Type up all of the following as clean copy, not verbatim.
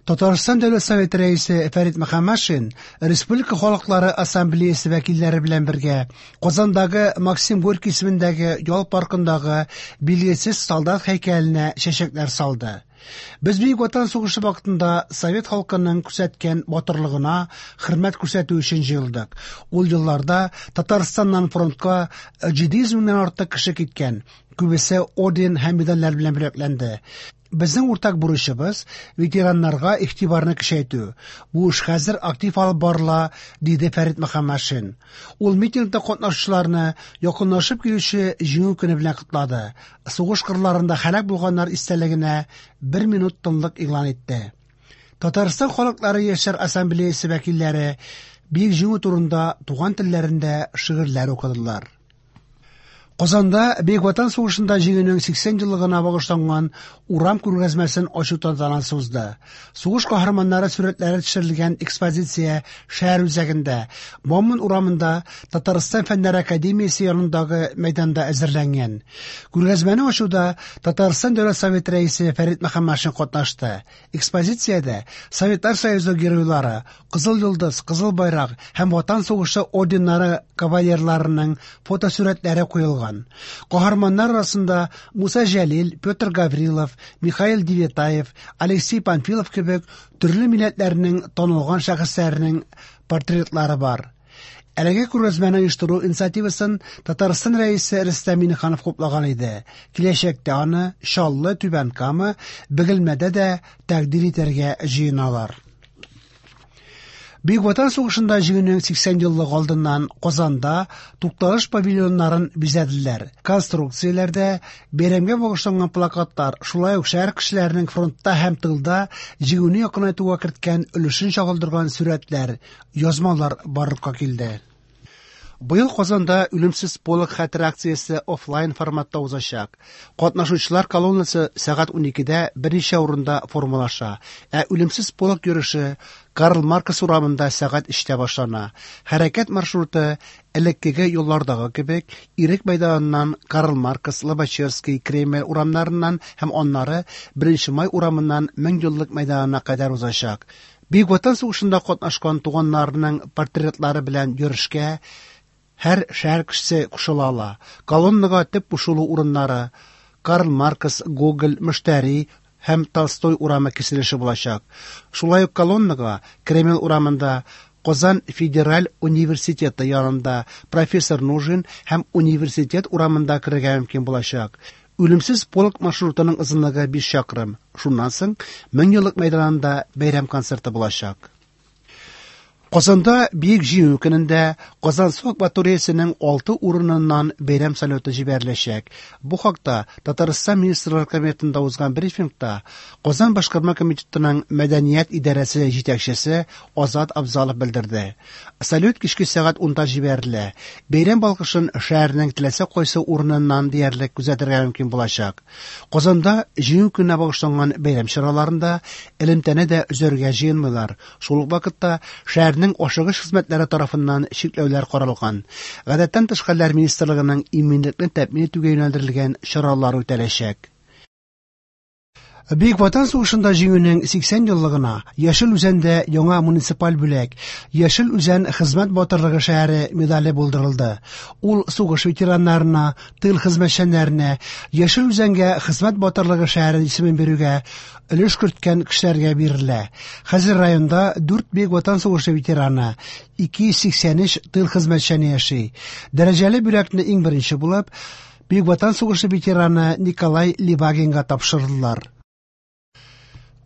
Татарстан Дәүләт Советы Рәисе Фәрит Мөхәммәтшин Республика халыклары ассамблеясе вәкилләре белән бергә Казандагы Максим Горький исемендәге ял паркындагы Билгесез солдат һәйкәленә чәчәкләр салды. Без Бөек Ватан сугышы вакытында совет халкының күрсәткән батырлыгына хөрмәт күрсәтү өчен җыелдык. Ул елларда Татарстаннан фронтка 700 меңнән артык кеше киткән, күбесе орден һәм медальләр белән бүләкләнде. Безнең уртак бурычыбыз ветераннарга игътибарны көчәйтү. Бу эш хәзер актив алып барыла, диде Фәрит Мөхәммәтшин. Ул митингта катнашучыларны якынлашып килүче Җиңү көне белән котлады. Сугыш кырларында һәлак булганнар истәлегенә бер минут тынлык игълан итте. Татарстан халыклары яшьләр ассамблеясе вәкилләре Бөек Җиңү турында туган телләрендә шигырьләр укыдылар. Казанда Бөек Ватан сугышында җиңүнең 80 еллыгына багышланган урам күргәзмәсен ачу тантанасы узды. Сугыш каһарманнары сурәтләре төшерелгән экспозиция шәһәр үзәгендә, Бауман урамында Татарстан Фәннәр академиясе янындагы мәйданда әзерләнгән. Күргәзмәне ачуда Татарстан Дәүләт Советы Рәисе Фәрит Мөхәммәтшин катнашты. Экспозициядә Советлар Союзы геройлары, Кызыл Йолдыз, Кызыл Байрак һәм Ватан сугышы орденнары кавалерларының фотосурәтләре куелган. Каһарманнар арасында Муса Җәлил, Петр Гаврилов, Михаил Девятаев, Алексей Панфилов кебек төрле милләтләрнең танылган шәхесләренең портретлары бар. Әлеге күргәзмәне оештыру инициативасын Татарстан Рәисе Рөстәм Миңнеханов хуплаган иде. Киләчәктә аны Чаллы, Түбән Кама, Бөгелмәдә дә тәкъдир итәргә җыеналар. Бөек Ватан сугышында җиңүнең 80 еллыгы алдыннан Казанда тукталыш павильоннарын бизәделәр. Конструкцияләрдә бәйрәмгә багышланган плакатлар, шулай ук шәһәр кешеләренең фронтта һәм тылда җиңүне якынайтуга керткән өлешен чагылдырган сурәтләр, язмалар барлыкка килде. Быел Казанда Үлемсез полк хәтер акциясе офлайн форматта узачак. Катнашучылар колоннасы сәгать 12дә берничә урында формалаша, ә Үлемсез полк йөреше Карл Маркс урамында сәгать 3тә башлана. Хәрәкәт маршруты элеккеге юллардагы кебек Ирек мәйданыннан Карл Маркс, Лобачевский, Кремль урамнарыннан һәм аннары 1 май урамыннан Меңьеллык мәйданына кадәр узачак. Бөек Ватан сугышында катнашкан туганнарының портретлары белән йөрешкә һәр шәһәр кешесе кушыла ала. Колоннага төп кушылу урыннары Карл Маркс, Гоголь, Мөштәри һәм Толстой урамы киселеше булачак. Шулай ук колоннага Кремль урамында Казан федераль университеты янында профессор Нужин һәм университет урамында керергә мөмкин булачак. Үлемсез полк маршрутының озынлыгы 5 чакрым. Шуннан соң Меңьеллык мәйданында бәйрәм концерты булачак. Казанда Бөек Җиңү көнендә Казансу акваториясенең 6 урыныннан бәйрәм салюты җибәреләчәк. Бу хакта Татарстан Министрлар Кабинетында узган брифингта Казан башкарма комитетының мәдәният идарәсе җитәкчесе Азат Абзалов белдерде. Салют кичке сәгать 10да җибәрелә. Бәйрәм балкышын шәһәрнең теләсә кайсы урыныннан диярлек күзәтергә мөмкин булачак. Казанда Җиңү көненә багышланган бәйрәм чараларында элемтәне дә өзәргә җыенмыйлар. Шул ук вакытта шәһәрнең ашыгыч хезмәтләре тарафыннан чикләүләр каралган. Гадәттән тыш хәлләр министрлыгының иминлекне тәэмин итүгә юнәлдерелгән чаралар үтәләчәк. Бөек Ватан сугышында җиңүнең 80 еллыгына Яшел Үзәндә яңа муниципаль бүләк Яшел Үзән хезмәт батырлыгы шәһәре медале булдырылды. Ул сугыш ветераннарына, тыл хезмәтчәннәренә, Яшел Үзәнгә хезмәт батырлыгы шәһәре исемен бирүгә өлеш керткән кешеләргә бирелә. Хәзер районда 4 Бөек Ватан сугышы ветераны, 283 тыл хезмәтчәне яши. Дәрәҗәле бүләкне иң беренче булып Бөек Ватан сугышы ветераны Николай Левагинга тапшырдылар.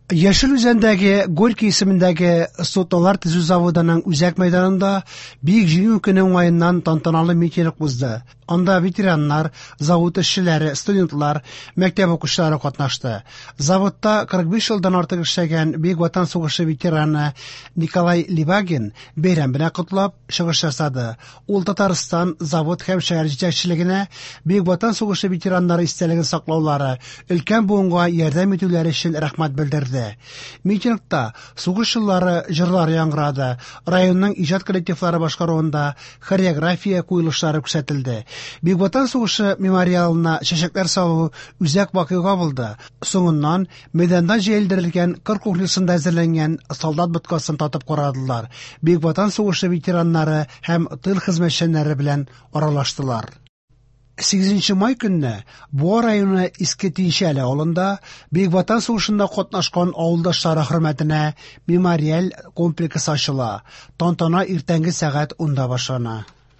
Яшел Үзәндәге Горький исемендәге суднолар төзү заводының үзәк мәйданында Бөек Җиңү көне уңаеннан тантаналы митинг узды. Анда ветераннар, завод эшчеләре, студентлар, мәктәп укучылары катнашты. Заводта 45 елдан артык эшләгән Бөек Ватан сугышы ветераны Николай Левагин бәйрәм белән котлап чыгыш ясады. Ул Татарстан завод һәм шәһәр җитәкчелегенә Бөек Ватан сугышы ветераннары истәлеген саклаулары, өлкән буынга ярдәм итүләре өчен рәхмәт белдерде. үткәрде. Митингта сугыш еллары җырлары яңгырады, районның иҗат коллективлары башкаруында хореография куелышлары күрсәтелде. Бөек Ватан сугышы мемориалына чәчәкләр салу үзәк вакыйга булды. Соңыннан мәйданда җәелдерелгән кыр кухнясында әзерләнгән солдат боткасын татып карадылар. Бөек Ватан сугышы ветераннары һәм тыл хезмәтчәннәре белән аралаштылар. 8 май көнне Буа районы Иске Тинчәле авылында Бөек Ватан сугышында катнашкан авылдашлары хөрмәтенә мемориаль комплекс ачыла. Тантана иртәнге сәгать 10-да башлана.